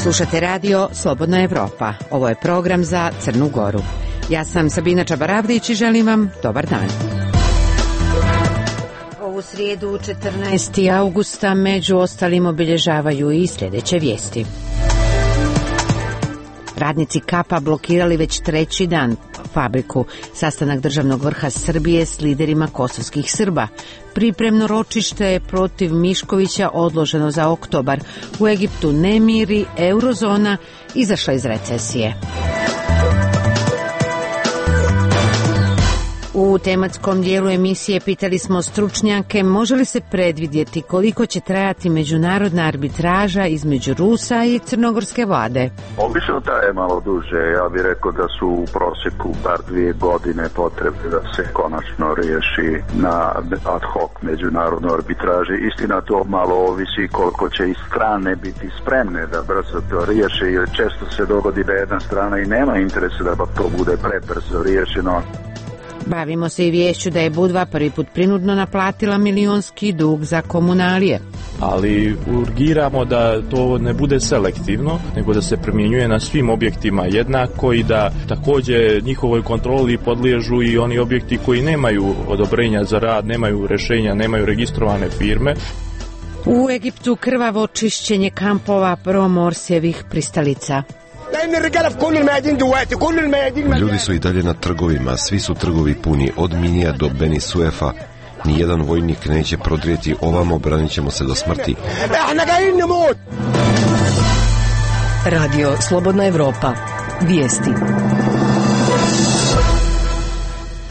Slušate radio Slobodna Evropa. Ovo je program za Crnu Goru. Ja sam Sabina Čabaravdić i želim vam dobar dan. Ovu srijedu 14. augusta među ostalim obilježavaju i sljedeće vijesti. Radnici Kapa blokirali već treći dan fabriku. Sastanak državnog vrha Srbije s liderima kosovskih Srba. Pripremno ročište protiv Miškovića odloženo za oktobar. U Egiptu nemiri, eurozona izašla iz recesije. U tematskom dijelu emisije pitali smo stručnjake može li se predvidjeti koliko će trajati međunarodna arbitraža između Rusa i crnogorske vlade. Obično traje malo duže, ja bih rekao da su u prosjeku bar 2 godine potrebne da se konačno riješi na ad hoc međunarodnoj arbitraži. Istina, to malo ovisi koliko će i strane biti spremne da brzo to riješe, jer često se dogodi da jedna strana i nema interesa da to bude prebrzo riješeno. Bavimo se i viješću da je Budva prvi put prinudno naplatila milionski dug za komunalije. Ali urgiramo da to ne bude selektivno, nego da se primjenjuje na svim objektima jednako i da također njihovoj kontroli podliježu i oni objekti koji nemaju odobrenja za rad, nemaju rješenja, nemaju registrovane firme. U Egiptu krvavo čišćenje kampova promorsjevih pristalica. Ljudi su i dalje na trgovima, svi su trgovi puni, od Minija do Beni Suefa. Nijedan vojnik neće prodrijeti ovamo, branit ćemo se do smrti. Radio Slobodna Evropa. Vijesti.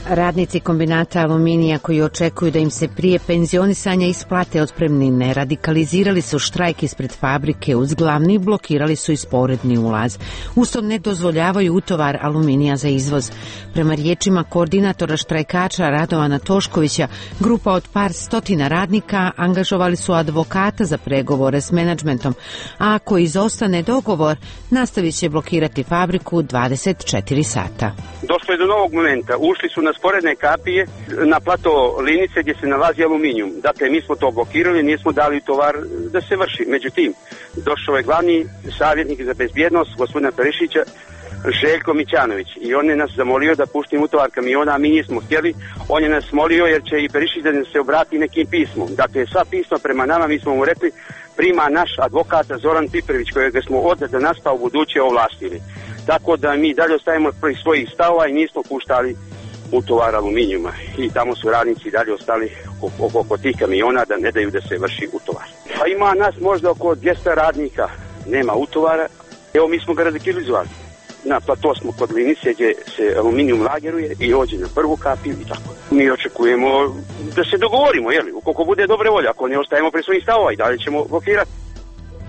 Radnici kombinata Aluminija koji očekuju da im se prije penzionisanja isplate otpremnine radikalizirali su štrajk ispred fabrike uz glavni, blokirali su i sporedni ulaz. Usto ne dozvoljavaju utovar aluminija za izvoz. Prema riječima koordinatora štrajkača Radovana Toškovića, grupa od par stotina radnika angažovali su advokata za pregovore s menadžmentom, a ako izostane dogovor, nastavit će blokirati fabriku 24 sata. Došlo je do novog momenta, ušli su na sporedne kapije na plato Linice gdje se nalazi aluminijum. Dakle, mi smo to blokirali, nismo dali tovar da se vrši. Međutim, došao je glavni savjetnik za bezbjednost, gospodina Perišića, Željko Mićanović, i on je nas zamolio da puštimo utovar kamiona, a mi nismo htjeli. On je nas molio jer će i Perišić da se obrati nekim pismom. Dakle, sva pisma prema nama, mi smo mu rekli, prima naš advokat Zoran Piprević, kojega smo od danas pa u buduće ovlastili. Tako da mi dalje ostajemo pri svojih stavova i nismo puštali utovar aluminijuma. I tamo su radnici dalje ostali oko tih kamiona da ne daju da se vrši utovar. Pa ima nas možda oko 200 radnika, nema utovara. Evo, mi smo ga radikalizovali. Na plato smo kod Linice gdje se aluminijum lageruje i ođe na prvu kapiju i tako. Mi očekujemo da se dogovorimo, ukoliko bude dobre volje, ako ne ostajemo pri svojih stavova i dalje ćemo blokirati.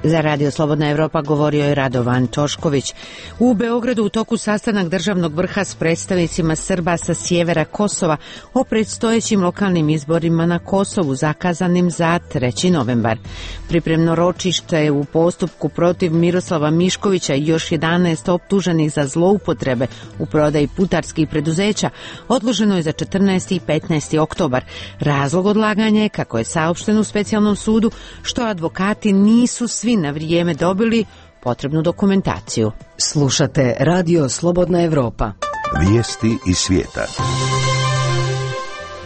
Za Radio Slobodna Evropa govorio je Radovan Tošković. U Beogradu u toku sastanak državnog vrha s predstavnicima Srba sa sjevera Kosova o predstojećim lokalnim izborima na Kosovu zakazanim za 3. novembar. Pripremno ročište je u postupku protiv Miroslava Miškovića i još 11 optuženih za zloupotrebe u prodaji putarskih preduzeća odloženo je za 14. i 15. oktobar. Razlog odlaganja je, kako je saopšteno u specijalnom sudu, što advokati nisu svi na vrijeme dobili potrebnu dokumentaciju. Slušate Radio Slobodna Evropa. Vijesti iz svijeta.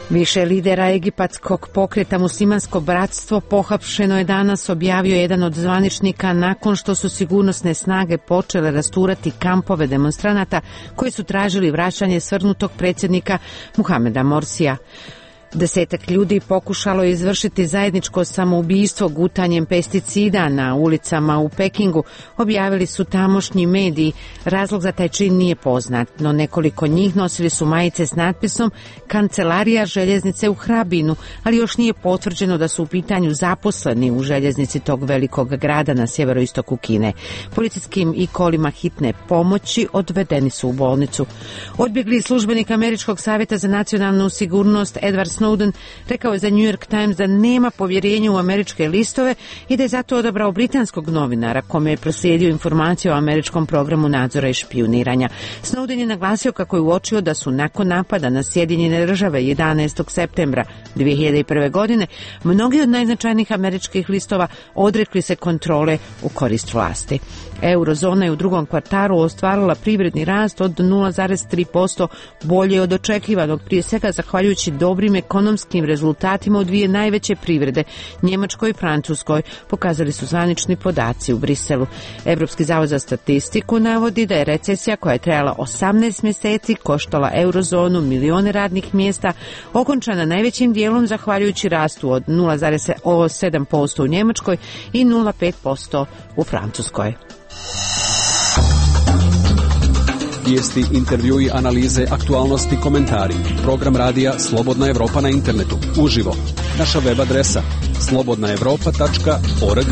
Više lidera egipatskog pokreta Muslimansko bratstvo pohapšeno je danas, objavio jedan od zvaničnika nakon što su sigurnosne snage počele rasturati kampove demonstranata koji su tražili vraćanje svrnutog predsjednika Muhameda Morsija. 10 ljudi pokušalo je izvršiti zajedničko samoubistvo gutanjem pesticida na ulicama u Pekingu, objavili su tamošnji mediji. Razlog za taj čin nije poznat, no nekoliko njih nosili su majice s natpisom Kancelarija željeznice u Hrabinu, ali još nije potvrđeno da su u pitanju zaposleni u željeznici tog velikog grada na sjeveroistoku Kine. Policijskim i kolima hitne pomoći odvedeni su u bolnicu. Odbjegli službenik Američkog savjeta za nacionalnu sigurnost Edward Snowden rekao je za New York Times da nema povjerenja u američke listove i da je zato odabrao britanskog novinara kome je proslijedio informaciju o američkom programu nadzora i špijuniranja. Snowden je naglasio kako je uočio da su nakon napada na Sjedinjene Države 11. septembra 2001. godine mnogi od najznačajnijih američkih listova odrekli se kontrole u korist vlasti. Eurozona je u drugom kvartalu ostvarila privredni rast od 0,3%, bolje od očekivanog, prije svega zahvaljujući dobrim ekonomskim rezultatima u dvije najveće privrede, Njemačkoj i Francuskoj, pokazali su zvanični podaci u Briselu. Evropski zavod za statistiku navodi da je recesija koja je trajala 18 mjeseci koštala Eurozonu milione radnih mjesta, okončana najvećim dijelom zahvaljujući rastu od 0,7% u Njemačkoj i 0,5% u Francuskoj. Vijesti, intervjui, analize, aktualnosti, komentari. Program radija Slobodna Evropa na internetu. Uživo. Naša web adresa slobodnaevropa.org.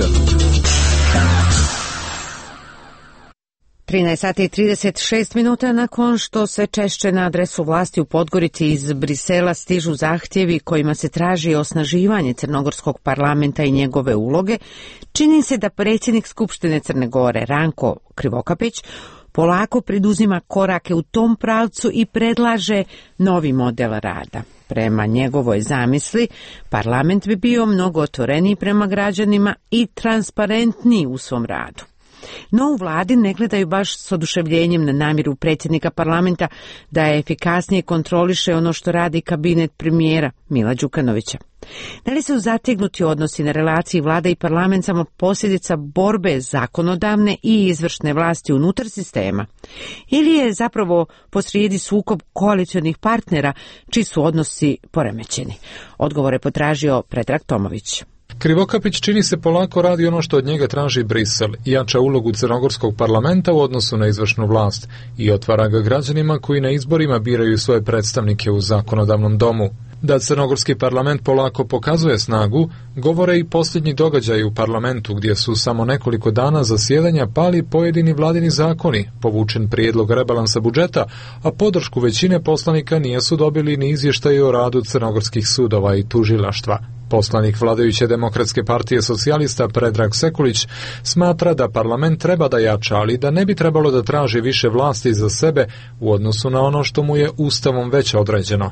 13:36 nakon što sve češće na adresu vlasti u Podgorici iz Brisela stižu zahtjevi kojima se traži osnaživanje crnogorskog parlamenta i njegove uloge, čini se da predsjednik Skupštine Crne Gore Ranko Krivokapić polako preduzima korake u tom pravcu i predlaže novi model rada. Prema njegovoj zamisli, parlament bi bio mnogo otvoreniji prema građanima i transparentniji u svom radu. No u vladi ne gledaju baš s oduševljenjem na namjeru predsjednika parlamenta da je efikasnije kontroliše ono što radi kabinet premijera Mila Đukanovića. Da li su zategnuti odnosi na relaciji vlada i parlament samo posljedica borbe zakonodavne i izvršne vlasti unutar sistema? Ili je zapravo posrijedi sukob koalicionih partnera čiji su odnosi poremećeni? Odgovor je potražio Predrag Tomović. Krivokapić čini se polako radi ono što od njega traži Brisel, jača ulogu crnogorskog parlamenta u odnosu na izvršnu vlast i otvara ga građanima koji na izborima biraju svoje predstavnike u zakonodavnom domu. Da crnogorski parlament polako pokazuje snagu, govore i posljednji događaji u parlamentu gdje su samo nekoliko dana zasjedanja pali pojedini vladini zakoni, povučen prijedlog rebalansa budžeta, a podršku većine poslanika nisu dobili ni izvještaji o radu crnogorskih sudova i tužilaštva. Poslanik vladajuće Demokratske partije socijalista Predrag Sekulić smatra da parlament treba da jača, ali da ne bi trebalo da traži više vlasti za sebe u odnosu na ono što mu je Ustavom već određeno.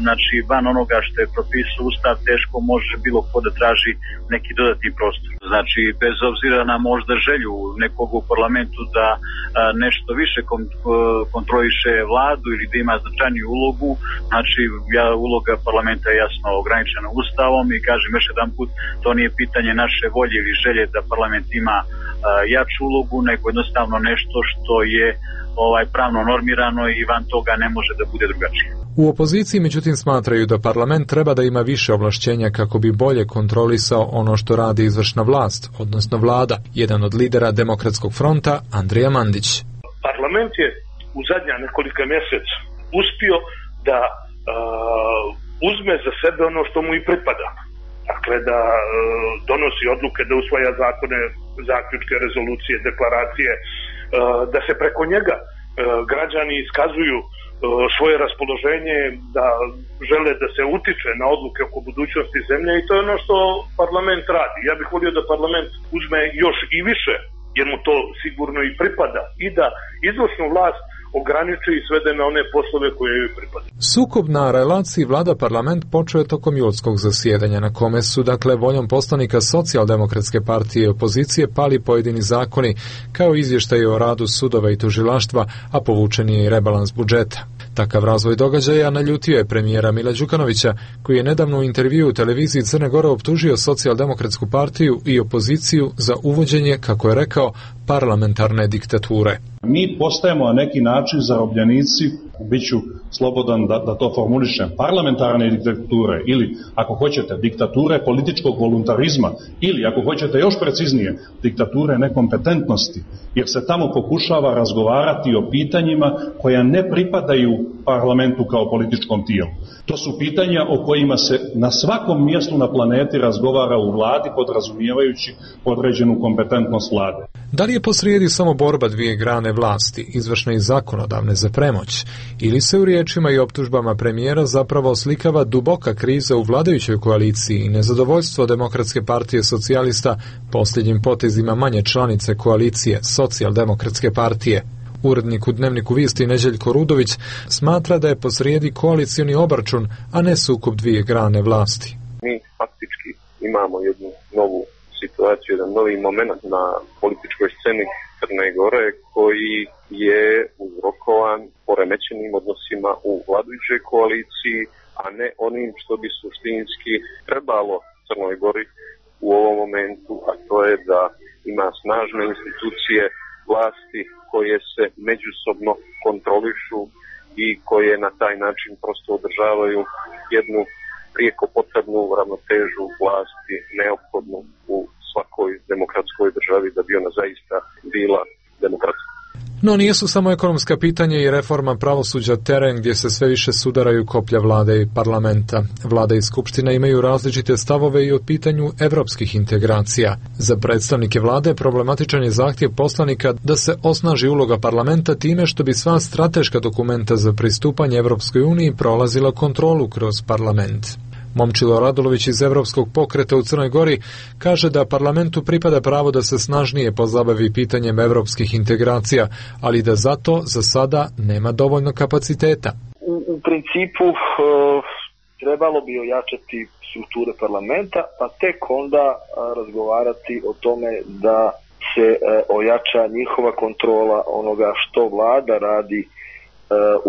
Znači, van onoga što je propisao Ustav, teško može bilo ko da traži neki dodatni prostor. Znači, bez obzira na možda želju nekog u parlamentu da nešto više kontroliše vladu ili da ima značajniju ulogu, znači, uloga parlamenta je jasno ograničena Ustavom i kažem još jedan put, to nije pitanje naše volje ili želje da parlament ima jaču ulogu, nego jednostavno nešto što je pravno normirano i van toga ne može da bude drugačije. U opoziciji međutim smatraju da parlament treba da ima više ovlašćenja kako bi bolje kontrolisao ono što radi izvršna vlast, odnosno vlada. Jedan od lidera Demokratskog fronta, Andrija Mandić. Parlament je u zadnja nekolika mjeseca uspio da uzme za sebe ono što mu i pripada. Dakle, da donosi odluke, da usvaja zakone, zaključke, rezolucije, deklaracije, da se preko njega građani iskazuju svoje raspoloženje, da žele da se utiče na odluke oko budućnosti zemlje i to je ono što parlament radi. Ja bih volio da parlament uzme još i više, jer mu to sigurno i pripada, i da izvršnu vlast ograniči i svede na one poslove koje joj pripadaju. Sukob na relaciji vlada-parlament počeo je tokom julskog zasjedanja, na kome su, dakle, voljom poslanika Socijaldemokratske partije i opozicije pali pojedini zakoni, kao izvještaji o radu sudova i tužilaštva, a povučen je i rebalans budžeta. Takav razvoj događaja naljutio je premijera Mila Đukanovića, koji je nedavno u intervjuu u televiziji Crne Gore optužio Socijaldemokratsku partiju i opoziciju za uvođenje, kako je rekao, parlamentarne diktature. Mi postajemo na neki način zarobljenici, bit ću slobodan da to formulišem, parlamentarne diktature ili, ako hoćete, diktature političkog voluntarizma ili, ako hoćete još preciznije, diktature nekompetentnosti, jer se tamo pokušava razgovarati o pitanjima koja ne pripadaju parlamentu kao političkom tijelu. To su pitanja o kojima se na svakom mjestu na planeti razgovara u vladi, podrazumijevajući određenu kompetentnost vlade. Da li je posrijedi samo borba dvije grane vlasti, izvršne i zakonodavne, za premoć, ili se u riječima i optužbama premijera zapravo oslikava duboka kriza u vladajućoj koaliciji i nezadovoljstvo Demokratske partije socijalista posljednjim potezima manje članice koalicije Socijaldemokratske partije? Urednik u Dnevniku Vijesti Neđeljko Rudović smatra da je posrijedi koalicioni obračun, a ne sukob dvije grane vlasti. Mi faktički imamo jednu novu situaciju, jedan novi moment na političkoj sceni Crne Gore koji je uzrokovan poremećenim odnosima u vladajućoj koaliciji, a ne onim što bi suštinski trebalo Crnoj Gori u ovom momentu, a to je da ima snažne institucije vlasti koje se međusobno kontrolišu i koje na taj način prosto održavaju jednu prijeko potrebnu ravnotežu vlasti neophodnu u svakoj demokratskoj državi da bi ona zaista bila demokratska. No nisu samo ekonomska pitanja i reforma pravosuđa teren gdje se sve više sudaraju koplja vlade i parlamenta. Vlada i skupština imaju različite stavove i o pitanju evropskih integracija. Za predstavnike vlade problematičan je zahtjev poslanika da se osnaži uloga parlamenta time što bi sva strateška dokumenta za pristupanje Evropskoj uniji prolazila kontrolu kroz parlament. Momčilo Radulović iz Evropskog pokreta u Crnoj Gori kaže da parlamentu pripada pravo da se snažnije pozabavi pitanjem evropskih integracija, ali da zato za sada nema dovoljno kapaciteta. U principu trebalo bi ojačati strukture parlamenta, pa tek onda razgovarati o tome da se ojača njihova kontrola onoga što vlada radi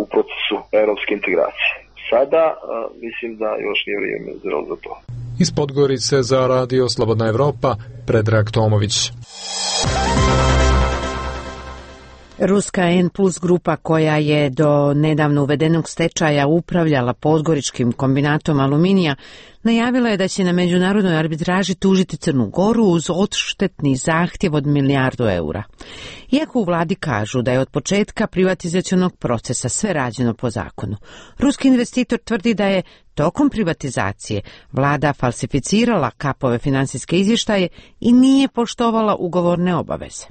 u procesu evropske integracije. Sada mislim da još nije vrijeme za to. Iz Podgorice za Radio Slobodna Evropa, Predrag Tomović. Ruska N+ grupa koja je do nedavno uvedenog stečaja upravljala podgoričkim kombinatom aluminija, najavila je da će na međunarodnoj arbitraži tužiti Crnu Goru uz odštetni zahtjev od milijardu eura. Iako u vladi kažu da je od početka privatizacionog procesa sve rađeno po zakonu, ruski investitor tvrdi da je tokom privatizacije vlada falsificirala kapove finansijske izvještaje i nije poštovala ugovorne obaveze.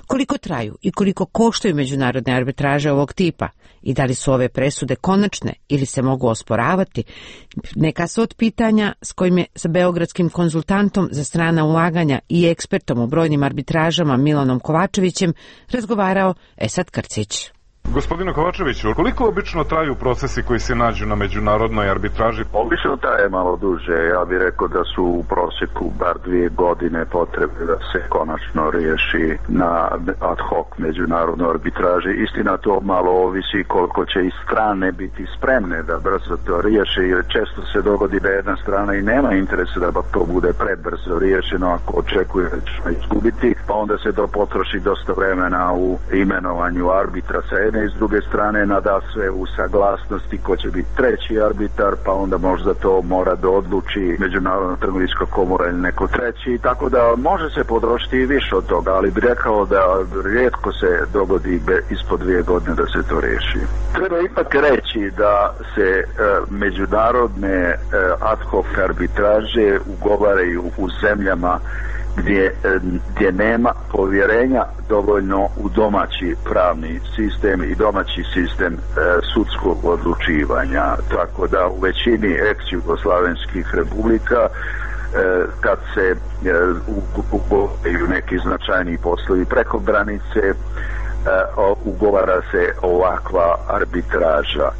Koliko traju i koliko koštaju međunarodne arbitraže ovog tipa i da li su ove presude konačne ili se mogu osporavati, neka su od pitanja s kojim je sa beogradskim konzultantom za strana ulaganja i ekspertom u brojnim arbitražama Milanom Kovačevićem razgovarao Esad Krcić. Gospodine Kovačeviću, koliko obično traju procesi koji se nađu na međunarodnoj arbitraži? Obično traje malo duže. Ja bih rekao da su u prosjeku bar 2 godine potrebne da se konačno riješi na ad hoc međunarodnoj arbitraži. Istina, to malo ovisi koliko će i strane biti spremne da brzo to riješi, jer često se dogodi da jedna strana i nema interesa da to bude prebrzo riješeno ako očekuje da će izgubiti, pa onda se to potroši dosta vremena u imenovanju arbitra sa jedne i s druge strane nada sve u saglasnosti ko će biti treći arbitar, pa onda možda to mora da odluči Međunarodna trgovinska komora ili neko treći, tako da može se potrošiti i više od toga, ali bih rekao da rijetko se dogodi ispod 2 godine da se to riješi. Treba ipak reći da se međunarodne ad hoc arbitraže ugovaraju u zemljama gdje nema povjerenja dovoljno u domaći pravni sistem i domaći sistem sudskog odlučivanja. Tako da u većini ex-jugoslavenskih republika kad se ugovaraju neki značajni poslovi preko granice, ugovara se ovakva arbitraža.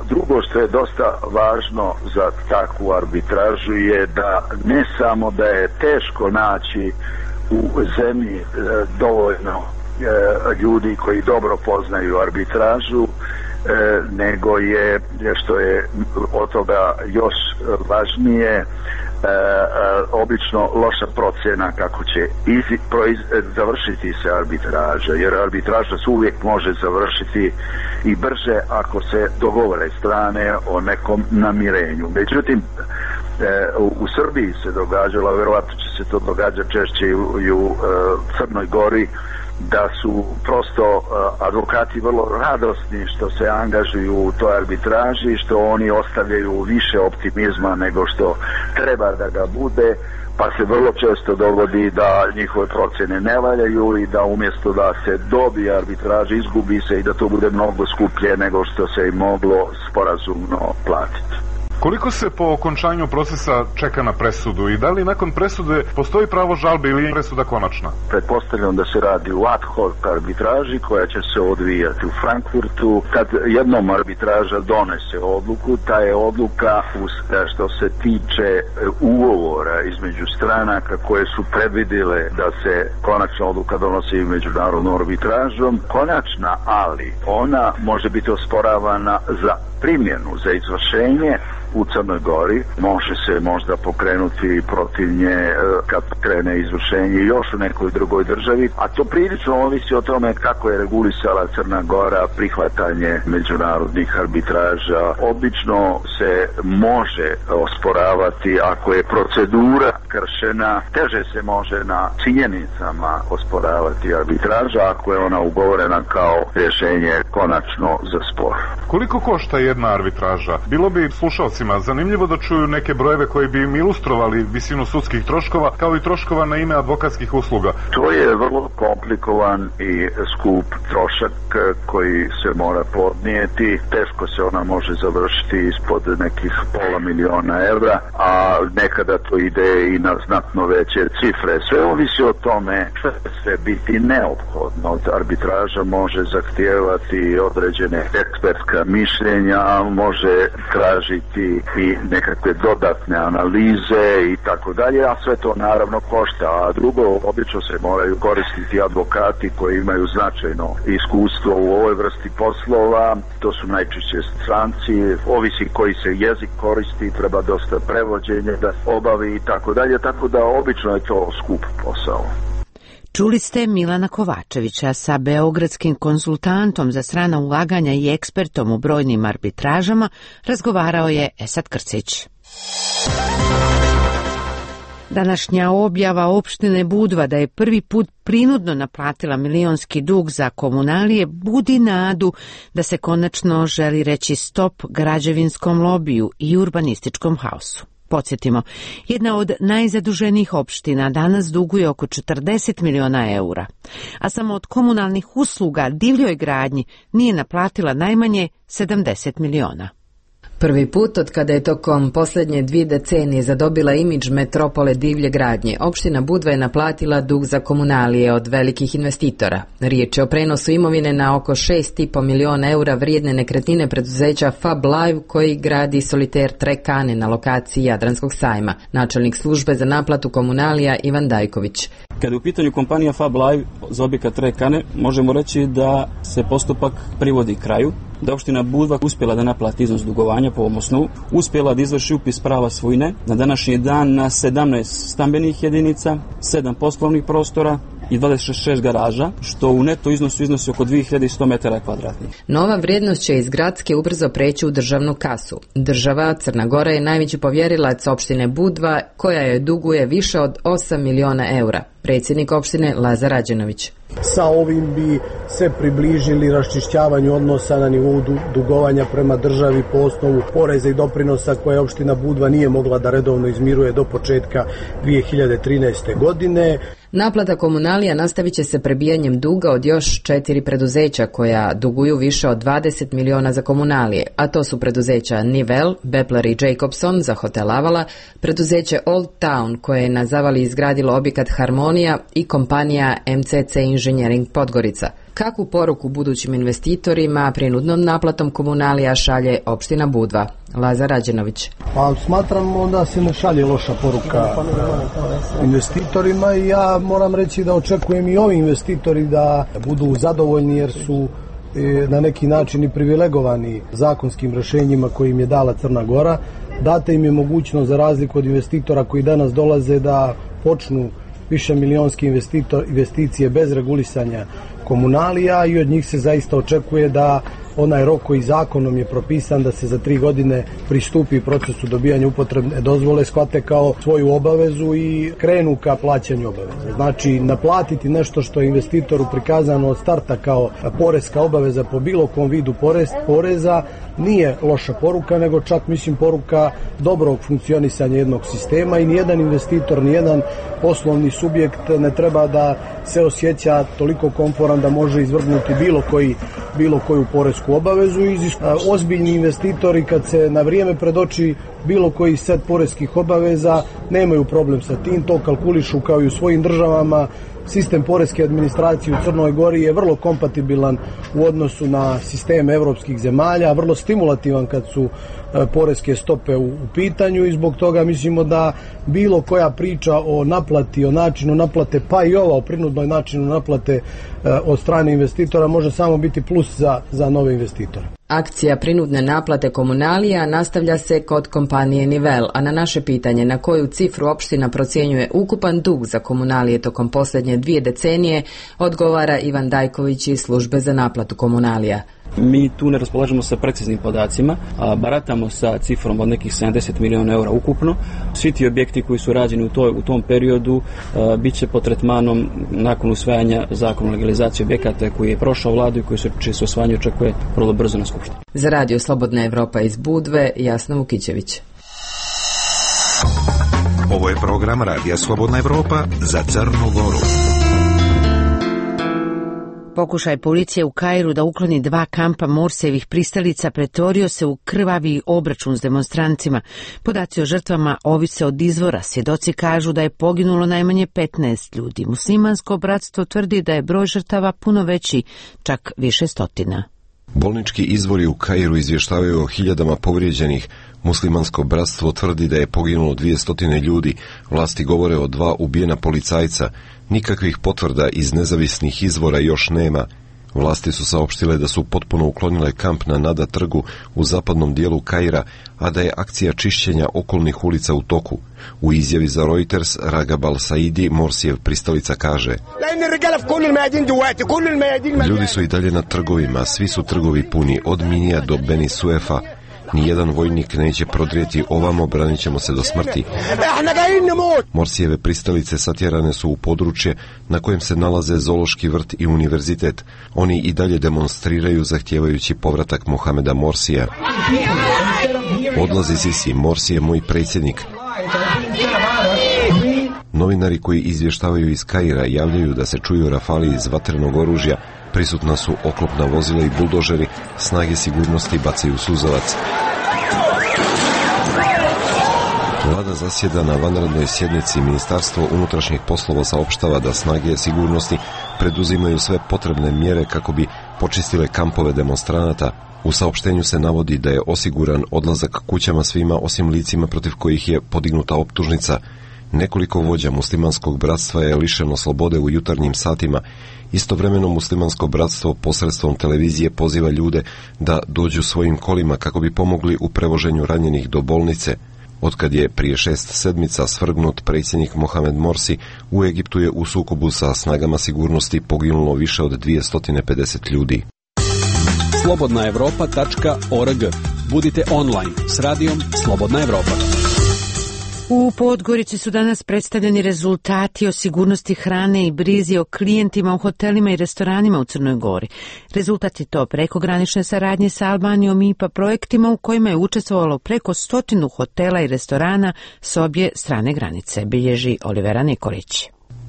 Drugo što je dosta važno za takvu arbitražu je da ne samo da je teško naći u zemlji dovoljno ljudi koji dobro poznaju arbitražu, nego je, što je od toga još važnije, obično loša procjena kako će završiti se arbitraža, jer arbitraža se uvijek može završiti i brže ako se dogovore strane o nekom namirenju. Međutim, u Srbiji se događalo, vjerovatno će se to događati češće i u Crnoj Gori, da su prosto advokati vrlo radosni što se angažuju u toj arbitraži, što oni ostavljaju više optimizma nego što treba da ga bude, pa se vrlo često dogodi da njihove procjene ne valjaju i da umjesto da se dobije arbitraža, izgubi se i da to bude mnogo skuplje nego što se i moglo sporazumno platiti. Koliko se po okončanju procesa čeka na presudu i da li nakon presude postoji pravo žalbe ili je presuda konačna? Pretpostavljam da se radi u ad hoc arbitraži koja će se odvijati u Frankfurtu. Kad jednom arbitraža donese odluku, ta je odluka što se tiče ugovora između stranaka koje su predvidile da se konačna odluka donosi međunarodnom arbitražom konačna, ali ona može biti osporavana za primjenu, za izvršenje u Crnoj Gori. Može se možda pokrenuti protiv nje kad krene izvršenje još u nekoj drugoj državi, a to prilično ovisi o tome kako je regulisala Crna Gora prihvatanje međunarodnih arbitraža. Obično se može osporavati ako je procedura kršena, teže se može na činjenicama osporavati arbitraža ako je ona ugovorena kao rješenje konačno za spor. Koliko košta jedna arbitraža? Bilo bi slušalcima zanimljivo da čuju neke brojeve koji bi im ilustrovali visinu sudskih troškova kao i troškova na ime advokatskih usluga. To je vrlo komplikovan i skup trošak koji se mora podnijeti. Teško se ona može završiti ispod nekih €500.000, a nekada to ide i na znatno veće cifre. Sve ovisi o tome što će biti neophodno. Arbitraža može zahtijevati određene ekspertska mišljenja, može tražiti i nekakve dodatne analize i tako dalje, a sve to naravno košta. A drugo, obično se moraju koristiti advokati koji imaju značajno iskustvo u ovoj vrsti poslova. To su najčešće stranci, ovisi koji se jezik koristi, treba dosta prevođenja da obavi i tako dalje, tako da obično je to skup posao. Čuli ste Milana Kovačevića sa beogradskim konsultantom za strana ulaganja i ekspertom u brojnim arbitražama, razgovarao je Esad Krcić. Današnja objava opštine Budva da je prvi put prinudno naplatila milionski dug za komunalije budi nadu da se konačno želi reći stop građevinskom lobiju i urbanističkom haosu. Podsjetimo, jedna od najzaduženijih opština danas duguje oko 40 miliona eura, a samo od komunalnih usluga divljoj gradnji nije naplatila najmanje 70 miliona. Prvi put od kada je tokom posljednje 2 decenije zadobila imidž metropole divlje gradnje, opština Budva je naplatila dug za komunalije od velikih investitora. Riječ je o prenosu imovine na oko 6,5 miliona eura vrijedne nekretnine preduzeća Fab Live koji gradi soliter Trekane na lokaciji Jadranskog sajma. Načelnik službe za naplatu komunalija Ivan Dajković. Kada je u pitanju kompanija Fab Live za objekat Trekane, možemo reći da se postupak privodi kraju, da opština Budva uspjela da naplati iznos dugovanja po ovom osnovu, uspjela da izvrši upis prava svojine na današnji dan na 17 stambenih jedinica, 7 poslovnih prostora i 26 garaža, što u neto iznosu iznosi oko 2100 metara kvadratnih. Nova vrijednost će iz gradske ubrzo preći u državnu kasu. Država Crna Gora je najveći povjerilac opštine Budva, koja joj duguje više od 8 miliona eura. Predsjednik opštine Lazar Rađenović. Sa ovim bi se približili raščišćavanju odnosa na nivou dugovanja prema državi po osnovu poreza i doprinosa koje opština Budva nije mogla da redovno izmiruje do početka 2013. godine. Naplata komunalija nastavit će se prebijanjem duga od još 4 preduzeća koja duguju više od 20 miliona za komunalije, a to su preduzeća Nivel, Bepler i Jacobson za hotel Avala, preduzeće Old Town koje je na Zavali izgradilo objekat Harmonija i kompanija MCC Engineering Podgorica. Kakvu poruku budućim investitorima prinudnom naplatom komunalija šalje opština Budva? Lazar Rađenović. Pa smatramo da se ne šalje loša poruka investitorima i ja moram reći da očekujem i ovi investitori da budu zadovoljni jer su na neki način i privilegovani zakonskim rješenjima koje im je dala Crna Gora. Date im je mogućnost za razliku od investitora koji danas dolaze da počnu više milionske investicije bez regulisanja komunalija i od njih se zaista očekuje da onaj rok koji zakonom je propisan da se za 3 godine pristupi procesu dobijanja upotrebne dozvole shvate kao svoju obavezu i krenu ka plaćanju obaveze. Znači, naplatiti nešto što je investitoru prikazano od starta kao poreska obaveza po bilo kom vidu poreza nije loša poruka, nego čak mislim poruka dobrog funkcionisanja jednog sistema i nijedan investitor, nijedan poslovni subjekt ne treba da se osjeća toliko komforan da može izvrgnuti bilo koju poresku obavezu. Ozbiljni investitori kad se na vrijeme predoči bilo koji set poreskih obaveza nemaju problem sa tim, to kalkulišu kao i u svojim državama. Sistem poreske administracije u Crnoj Gori je vrlo kompatibilan u odnosu na sistem evropskih zemalja, vrlo stimulativan kad su poreske stope u pitanju i zbog toga mislimo da bilo koja priča o naplati, o načinu naplate, pa i ova o prinudnoj načinu naplate od strane investitora može samo biti plus za nove investitore. Akcija prinudne naplate komunalija nastavlja se kod kompanije Nivel, a na naše pitanje na koju cifru opština procjenjuje ukupan dug za komunalije tokom posljednje 2 decenije, odgovara Ivan Dajković iz službe za naplatu komunalija. Mi tu ne raspolažemo sa preciznim podacima, a baratamo sa cifrom od nekih 70 miliona eura ukupno. Svi ti objekti koji su rađeni u tom periodu bit će pod tretmanom nakon usvajanja zakona o legalizaciji objekata koji je prošao vladu i čije se usvajanje očekuje vrlo brzo na skupštini. Za Radio Slobodna Evropa iz Budve, Jasna Vukićević. Ovo je program Radija Slobodna Evropa za Crnu Goru. Pokušaj policije u Kairu da ukloni 2 kampa Morsijevih pristalica pretvorio se u krvavi obračun s demonstrancima. Podaci o žrtvama ovise od izvora. Svjedoci kažu da je poginulo najmanje 15 ljudi. Muslimansko bratstvo tvrdi da je broj žrtava puno veći, čak više stotina. Bolnički izvori u Kairu izvještavaju o hiljadama povrijeđenih. Muslimansko bratstvo tvrdi da je poginulo 200 ljudi. Vlasti govore o 2 ubijena policajca. Nikakvih potvrda iz nezavisnih izvora još nema. Vlasti su saopštile da su potpuno uklonile kamp na Nada trgu u zapadnom dijelu Kaira, a da je akcija čišćenja okolnih ulica u toku. U izjavi za Reuters, Ragab al-Saidi, Morsijev pristalica, kaže: ljudi su i dalje na trgovima, svi su trgovi puni, od Minija do Beni Suefa. Nijedan vojnik neće prodrijeti ovamo, branit ćemo se do smrti. Morsijeve pristalice satjerane su u područje na kojem se nalaze zoološki vrt i univerzitet. Oni i dalje demonstriraju zahtijevajući povratak Mohameda Morsija. Odlazi Sisi, Morsi je moj predsjednik. Novinari koji izvještavaju iz Kaira javljaju da se čuju rafali iz vatrenog oružja, prisutna su oklopna vozila i buldožeri, snage sigurnosti bacaju suzavac. Vlada zasjeda na vanrednoj sjednici. Ministarstvo unutrašnjih poslova saopštava da snage sigurnosti preduzimaju sve potrebne mjere kako bi počistile kampove demonstranata. U saopštenju se navodi da je osiguran odlazak kućama svima osim licima protiv kojih je podignuta optužnica. Nekoliko vođa muslimanskog bratstva je lišeno slobode u jutarnjim satima. Istovremeno muslimansko bratstvo posredstvom televizije poziva ljude da dođu svojim kolima kako bi pomogli u prevoženju ranjenih do bolnice. Otkad je prije 6 sedmica svrgnut predsjednik Mohamed Morsi, u Egiptu je u sukobu sa snagama sigurnosti poginulo više od 250 ljudi. slobodnaevropa.org. Budite online s radijom Slobodna Evropa. U Podgorici su danas predstavljeni rezultati o sigurnosti hrane i brizi o klijentima u hotelima i restoranima u Crnoj Gori. Rezultat je to prekogranične saradnje sa Albanijom i IPA projektima u kojima je učestvovalo preko 100 hotela i restorana s obje strane granice, bilježi Olivera Nikolić.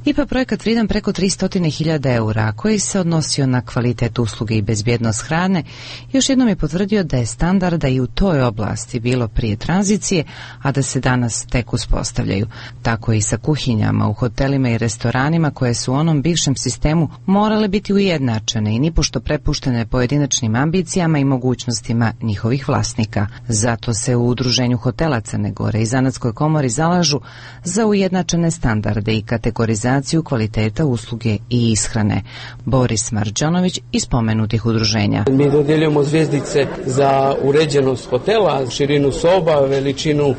IPA projekat vrijedan preko 300.000 eura, koji se odnosio na kvalitet usluge i bezbjednost hrane, još jednom je potvrdio da je standarda i u toj oblasti bilo prije tranzicije, a da se danas tek uspostavljaju. Tako i sa kuhinjama u hotelima i restoranima koje su u onom bivšem sistemu morale biti ujednačene i nipošto prepuštene pojedinačnim ambicijama i mogućnostima njihovih vlasnika. Zato se u Udruženju hotela Crne Gore i Zanatskoj komori zalažu za ujednačene standarde i kategorizaciju kvaliteta usluge i ishrane. Boris Marđanović iz spomenutih udruženja. Mi dodjeljujemo zvjezdice za uređenost hotela, širinu soba, veličinu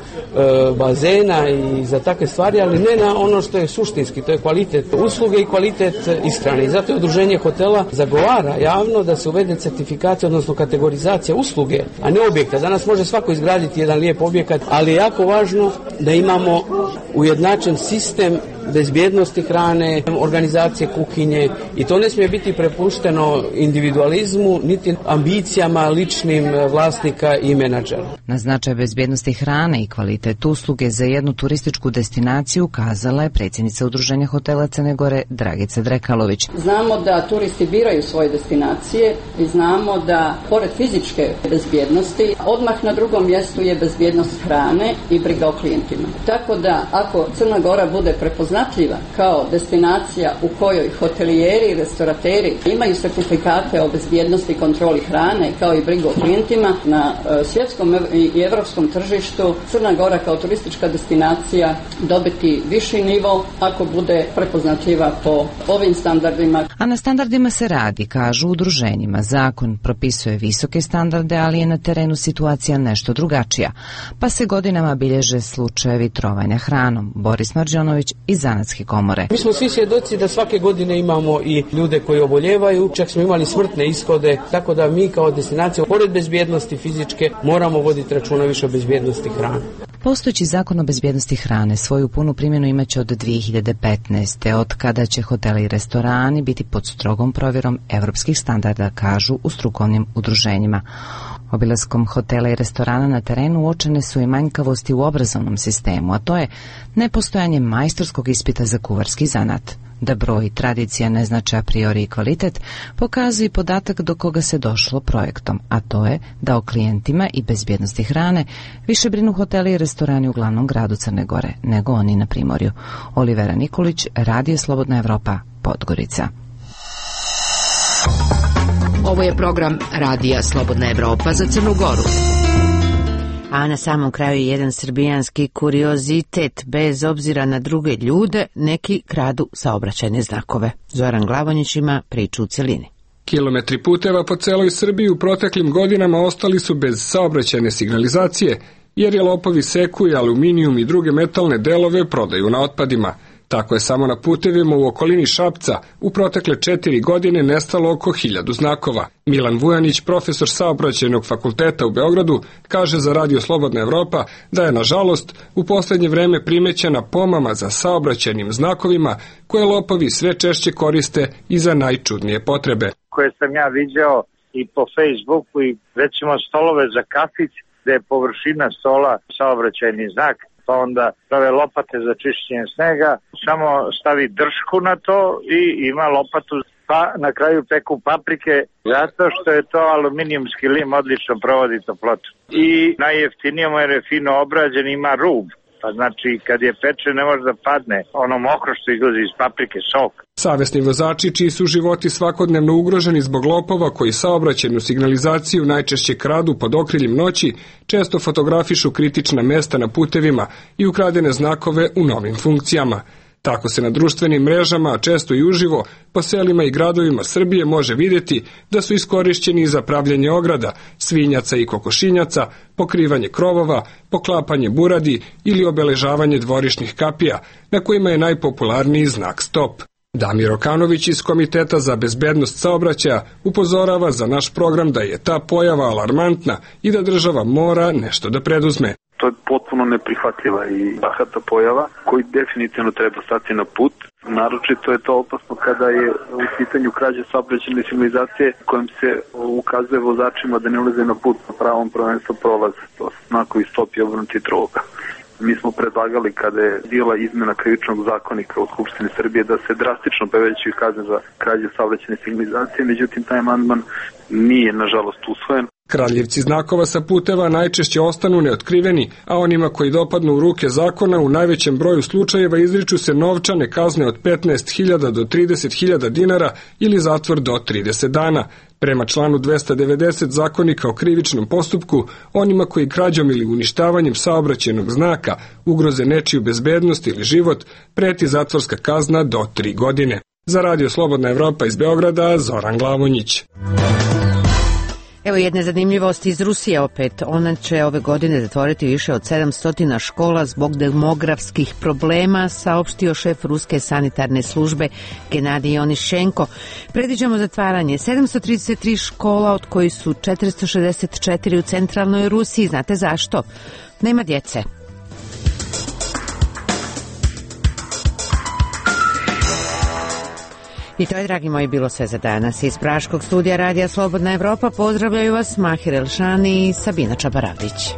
bazena i za takve stvari, ali ne na ono što je suštinski, to je kvalitet usluge i kvalitet ishrane. I zato je udruženje hotela zagovara javno da se uvede certifikacija, odnosno kategorizacija usluge, a ne objekta. Danas može svako izgraditi jedan lijep objekat, ali je jako važno da imamo ujednačen sistem bezbjednosti hrane, organizacije kuhinje i to ne smije biti prepušteno individualizmu niti ambicijama ličnim vlasnika i menadžera. Na značaj bezbjednosti hrane i kvalitet usluge za jednu turističku destinaciju kazala je predsjednica Udruženja hotela Crne Gore Dragica Drekalović. Znamo da turisti biraju svoje destinacije i znamo da pored fizičke bezbjednosti odmah na drugom mjestu je bezbjednost hrane i briga o klijentima. Tako da ako Crna Gora bude prepoznatljiva kao destinacija u kojoj hotelijeri i restorateri imaju sertifikate o bezbjednosti i kontroli hrane kao i brigu o klijentima na svjetskom i evropskom tržištu, Crna Gora kao turistička destinacija dobiti viši nivo ako bude prepoznatljiva po ovim standardima. A na standardima se radi, kažu udruženjima. Zakon propisuje visoke standarde, ali je na terenu situacija nešto drugačija, pa se godinama bilježe slučajevi trovanja hranom. Boris Marđanović iz Zanatske komore. Mi smo svi svjedoci da svake godine imamo i ljude koji oboljevaju, čak smo imali smrtne ishode, tako da mi kao destinacija, pored bezbjednosti fizičke, moramo voditi računa više o bezbjednosti hrane. Postojeći zakon o bezbjednosti hrane svoju punu primjenu imaće od 2015. od kada će hoteli i restorani biti pod strogom provjerom evropskih standarda, kažu u strukovnim udruženjima. Obilaskom hotela i restorana na terenu uočene su i manjkavosti u obrazovnom sistemu, a to je nepostojanje majstorskog ispita za kuvarski zanat. Da broj i tradicija ne znače a priori i kvalitet, pokazuje podatak do koga se došlo projektom, a to je da o klijentima i bezbjednosti hrane više brinu hoteli i restorani u glavnom gradu Crne Gore nego oni na primorju. Olivera Nikolić, Radio Slobodna Evropa, Podgorica. Ovo je program Radija Slobodna Evropa za Crnu Goru. A na samom kraju jedan srbijanski kuriozitet. Bez obzira na druge ljude, neki kradu saobraćajne znakove. Zoran Glavonjić ima priču u celini. Kilometri puteva po celoj Srbiji u proteklim godinama ostali su bez saobraćajne signalizacije, jer je lopovi seku i aluminijum i druge metalne delove prodaju na otpadima. Tako je samo na putevima u okolini Šapca u protekle 4 godine nestalo oko 1000 znakova. Milan Vujanić, profesor saobraćajnog fakulteta u Beogradu, kaže za Radio Slobodna Evropa da je, nažalost, u posljednje vreme primećena pomama za saobraćajnim znakovima koje lopovi sve češće koriste i za najčudnije potrebe. Koje sam ja viđao i po Facebooku i recimo stolove za kafić gde je površina stola saobraćajni znak, pa onda prave lopate za čišćenje snega, samo stavi držku na to i ima lopatu, pa na kraju peku paprike, zato što je to aluminijumski lim, odlično provodi toplotu. I najjeftinije mu jer je fino obrađen, ima rub, pa znači kad je peče ne može da padne ono mokro što izlazi iz paprike, sok. Savesni vozači čiji su životi svakodnevno ugroženi zbog lopova koji saobraćajnu signalizaciju najčešće kradu pod okriljem noći, često fotografišu kritična mesta na putevima i ukradene znakove u novim funkcijama. Tako se na društvenim mrežama, a često i uživo, po selima i gradovima Srbije može vidjeti da su iskorišćeni za pravljenje ograda, svinjaca i kokošinjaca, pokrivanje krovova, poklapanje buradi ili obeležavanje dvorišnih kapija, na kojima je najpopularniji znak stop. Damir Okanović iz Komiteta za bezbednost saobraćaja upozorava za naš program da je ta pojava alarmantna i da država mora nešto da preduzme. To je potpuno neprihvatljiva i bahata pojava koji definitivno treba stati na put. Naročito je to opasno kada je u pitanju krađe saobraćajne signalizacije kojim se ukazuje vozačima da ne ulaze na put na pravom prvenstvo prolaze. To su znakovi stop i obrnuti droga. Mi smo predlagali kada je bila izmena krivičnog zakonika u Skupštini Srbije da se drastično povećaju kazne za krađe saobraćajne signalizacije, međutim taj amandman nije nažalost usvojen. Kradljivci znakova sa puteva najčešće ostanu neotkriveni, a onima koji dopadnu u ruke zakona u najvećem broju slučajeva izriču se novčane kazne od 15.000 do 30.000 dinara ili zatvor do 30 dana. Prema članu 290 Zakonika o krivičnom postupku, onima koji krađom ili uništavanjem saobraćajnog znaka ugroze nečiju bezbednost ili život, preti zatvorska kazna do 3 godine. Za Radio Slobodna Evropa iz Beograda, Zoran Glavonjić. Evo jedne zanimljivosti iz Rusije opet. Ona će ove godine zatvoriti više od 700 škola zbog demografskih problema, saopštio šef ruske sanitarne službe Genadij Onišenko. Predviđamo zatvaranje 733 škola, od kojih su 464 u centralnoj Rusiji. Znate zašto? Nema djece. I to je, dragi moji, bilo sve za danas. Iz Praškog studija Radija Slobodna Evropa pozdravljaju vas Mahir Elšani i Sabina Čabaravdić.